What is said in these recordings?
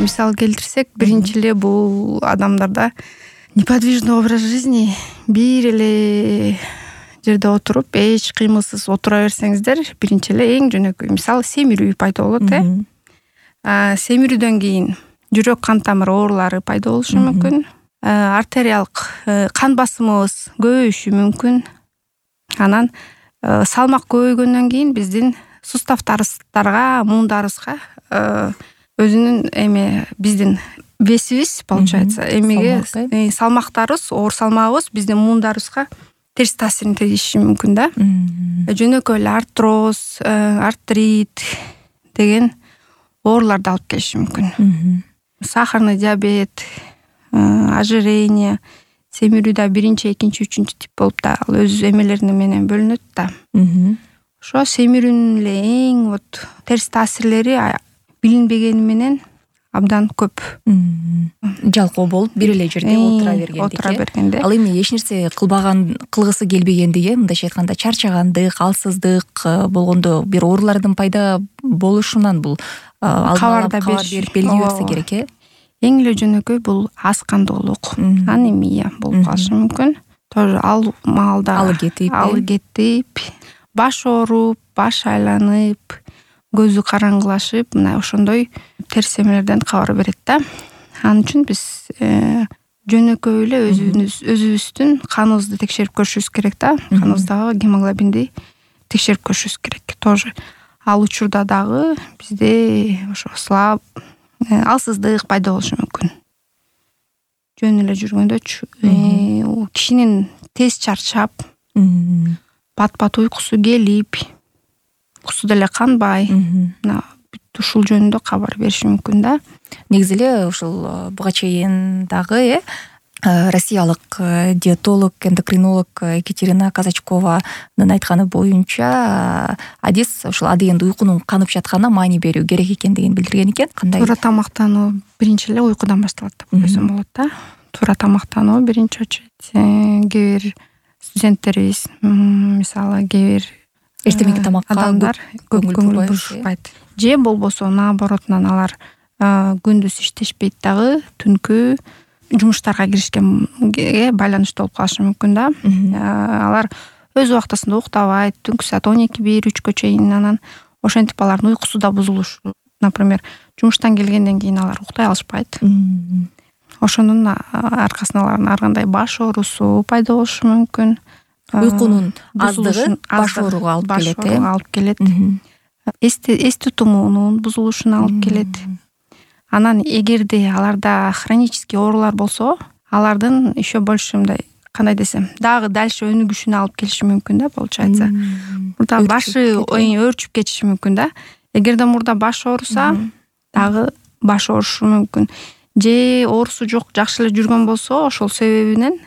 мисал келтирсек, биринчи эле бул адамдарда неподвижный образ жизни, бир эле жерде отуруп эч кыймылсыз отура берсеңиздер, биринчи эле эң жөнөкөй мисал семирүү пайда болот. Семирүүдөн кийин жүрөк кан тамыр оорулары пайда болушу мүмкүн. Артериалдык кан басымыбыз көбөйүшү мүмкүн. Анан салмак көбөйгөндөн кийин биздин суставдарга, муундарыбызга өзүнүн биздин весибиз получается, салмактарыбыз, оор салмагыбыз биздин муундарыбызга терс таасирин тийиши мүмкүн да. Жөнөкөй эле артроз, артрит деген ооруларды алып келиши мүмкүн. Сахарный диабет, ожирение, семирүүдө биринчи, экинчи, үчүнчү тип болуп да ал өз эмелери менен бөлүнөт да. Ошо семирүүнүн эле эң терс таасирлери билинбегени менен абдан көп. Жалкоо болуп бир эле жерде отура бергенде. Ал эми эч нерсе кылгысы келбегендиги, мындайча айтканда чарчагандык, алсыздык болгондо бир оорулардын пайда болушунан бул кабар берип белги берсе керек. Эң эле жөнөкөй бул аз кандуулук, анемия болуп калышы мүмкүн. Тоже ал маалда алы кетип, баш ооруп, баш айланып, көзү караңгылашып, мына ошондой терс эмелерден кабар берет да. Ал үчүн биз жөнөкөй эле өзүбүздүн каныбызды текшерип көрүшүбүз керек да. Каныбыздагы гемоглобинди текшерип көрүшүбүз керек. Тоже ал учурда дагы бизде ошо алсыздык пайда болушу мүмкүн. Жөн эле жүргөндө кишинин тез чарчап, пат-пат уйкусу келип, уйкусу деле канбай, ушул жөнүндө кабар бериши мүмкүн да. Негизи эле ушул буга чейин дагы россиялык диетолог, эндокринолог Екатерина Казачкованын айтканы боюнча адис ушул адегенде уйкунун канып жатканына маани берүү керек экендигин билдирген экен. Кандай? Туура тамактануу биринчи эле уйкудан башталат деп ойлосом болот да. Туура тамактануу биринчи очередь. Кээ бир студенттерибиз, мисалы, кээ бир эртеңки тамакка адамдар көп көңүл бурушпайт. Же болбосо наоборотунан алар күндүз иштешпейт дагы, түнкү жумуштарга киришкенге байланыштуу болуп калышы мүмкүн да. Алар өз убактысында уктабайт, түнкү саат 12-1-3 чейин, анан ошентип алардын уйкусу да бузулушу. Например, жумуштан келгенден кийин алар уктай алышпайт. Ошонун аркасында алардын ар кандай баш оорусу пайда болушу мүмкүн. Уйкунун аздыгы баш ооруга алып келет. Эс тутумунун бузулушуна алып келет. Анан эгерде аларда хронический оорулар болсо, алардын еще больше мындай, кандай десем, дагы дальше өнүгүшүнө алып келиши мүмкүн да, получается. Мурда башы өөрчүп кетиши мүмкүн да. Эгерде мурда баш ооруса, дагы баш оорушу мүмкүн. Же оорусу жок, жакшы эле жүргөн болсо, ошол себебинен,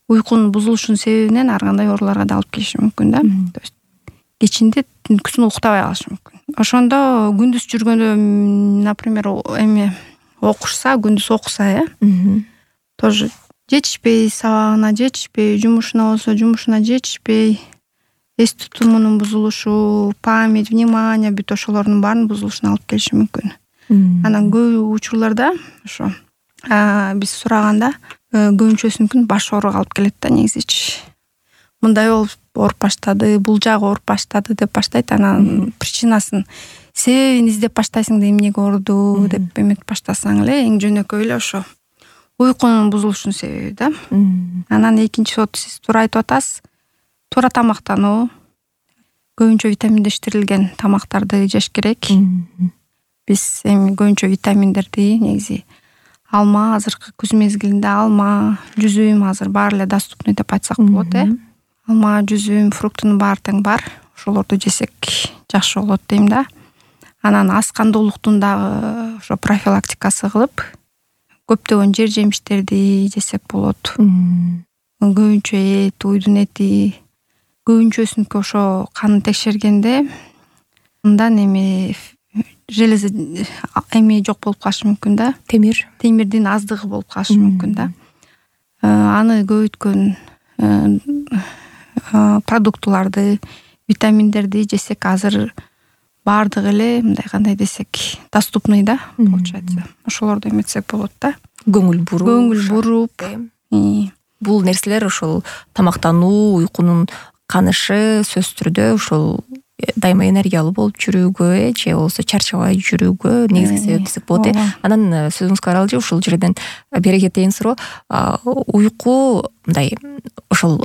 уйкунун бузулушунун себебинен ар кандай ооруларга да алып келиши мүмкүн да. То есть кечинде түнкүсүн уктабай калышы мүмкүн. Ошондо күндүз жүргөндө, например, окушса, күндүз окуса, тоже жетишпей, сабагына жетишпей, жумушуна болсо жумушуна жетишпей, эс тутумунун бузулушу, память, внимание, бүт ошолордун баарын бузулушуна алып келиши мүмкүн. Анан көп учурларда ошо биз сураганда көбүнчөсүнүн баш ооруга алып келет да, негизичи. Мындай болуп ооруп баштады, бул жагы ооруп баштады деп баштайт. Анан причинасын, себебин издеп баштайсың да, эмнеге ооруду деп эметип баштасаң эле, эң жөнөкөй эле ошо уйкунун бузулушунун себеби да. Анан экинчи сиз туура айтып атасыз, туура тамактануу, көбүнчө витаминдештирилген тамактарды жеш керек. Биз эми көбүнчө витаминдерди негизи алма, азыркы күз мезгилинде алма, жүзүм азыр баары эле доступный деп айтсак болот, Алма, жүзүм, фруктунун баары тең бар. Ошолорду жесек жакшы болот дейм да. Анан аз кандуулуктун дагы ошо профилактикасы кылып, көптөгөн жер жемиштерди жесек болот. Көбүнчө эт, уйдун эти, көбүнчөсүнүкү ошо канын текшергенде мындан железа жок болуп калышы мүмкүн да. Темирдин аздыгы болуп калышы мүмкүн да. Аны көбөйткөн продуктуларды, витаминдерди жесек азыр баардыгы эле мындай кандай десек доступный да, получается. Ошолорду эметсек болот да. Көңүл буруп. Бул нерселер ошол тамактануу, уйкунун канышы сөзсүз түрдө ошол дайыма энергиялуу болуп жүрүүгө же болбосо чарчабай жүрүүгө негизги себеп десек болот. Анан сөзүңүзгө каралчы ушул жерден бери кетейин суроо. Уйку мындай ошол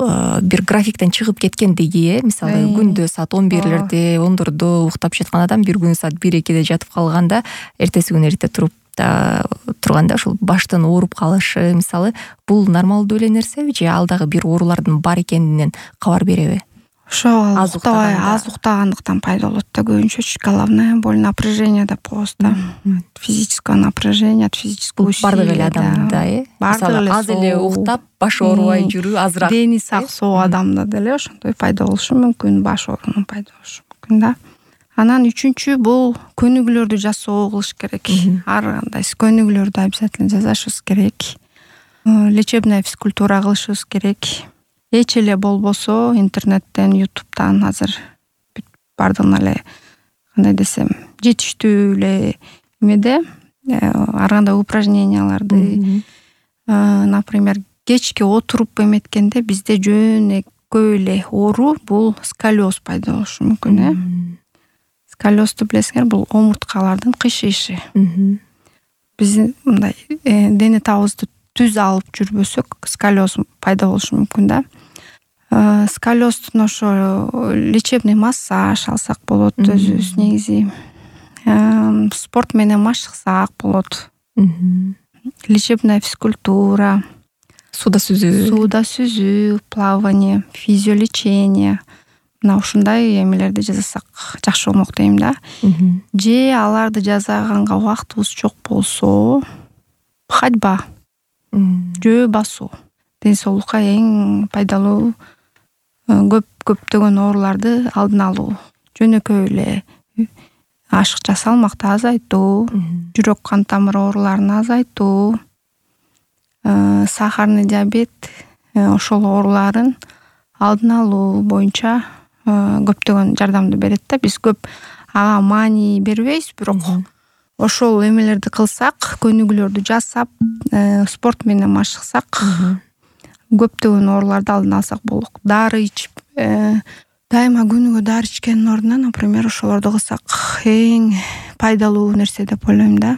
бир графиктен чыгып кеткендиги, мисалы күндө саат 11-лерде, 10-дордо уктап жаткан адам бир күнү саат 1-2-де жатып калганда, эртеси күнү эрте туруп турганда ошол баштан ооруп калышы, мисалы, бул нормалдуу эле нерсеби же ал дагы бир оорулардын бар экенинен кабар береби? Ошол аз уктагандыктан пайда болот да көбүнчөчү. Головная боль, напряжение деп коебуз да. Физическое напряжение, физическое усилие. Бардык эле адамда, мисалы аз эле уктап, баш оорубай жүрүү азыраак. Дени сак соо адамда деле ошондой пайда болушу мүмкүн, баш оорунун пайда болушу мүмкүн да. Анан үчүнчү бул көнүгүүлөрдү жасоо кылыш керек. Ар кандай көнүгүүлөрдү обязательно жасашыбыз керек. Лечебная физкультура кылышыбыз керек. Эч эле болбосо интернеттен, ютубтан азыр бардыгына эле кандай десем жетиштүү эле эмеде ар кандай упражненияларды, например, кечке отуруп эметкенде бизде жөнөкөй эле оору бул сколиоз пайда болушу мүмкүн. Сколиозду билесиңер, бул омурткалардын кыйшыйышы. Биз мындай дене табыбызды түз алып жүрбөсөк, сколиоз пайда болушу мүмкүн да. Сколиоздун ошо лечебный массаж алсак болот өзүбүз негизи. Спорт менен машыксак болот. Лечебная физкультура, суда сүзүү, плавание, физиолечение. Мына ушундай эмелерди жасасак жакшы болмок дейм да. Же аларды жасаганга убактыбыз жок болсо, ходьба, жөө басуу ден соолукка эң пайдалуу, көптөгөн ооруларды алдын алуу. Жөнөкөй эле ашыкча салмакты азайтуу, жүрөк кан тамыр ооруларын азайтуу, сахарный диабет, ошол ооруларын алдын алуу боюнча көптөгөн жардамды берет да. Биз көп ага маани бербейбиз, бирок ошол эмелерди кылсак, көнүгүүлөрдү жасап, спорт менен машыксак, көптөгөн ооруларды алдын алсак болот. Дары ичип, дайыма күнүгө дары ичкендин ордуна, например, ошолорду кылсак эң пайдалуу нерсе деп ойлойм да.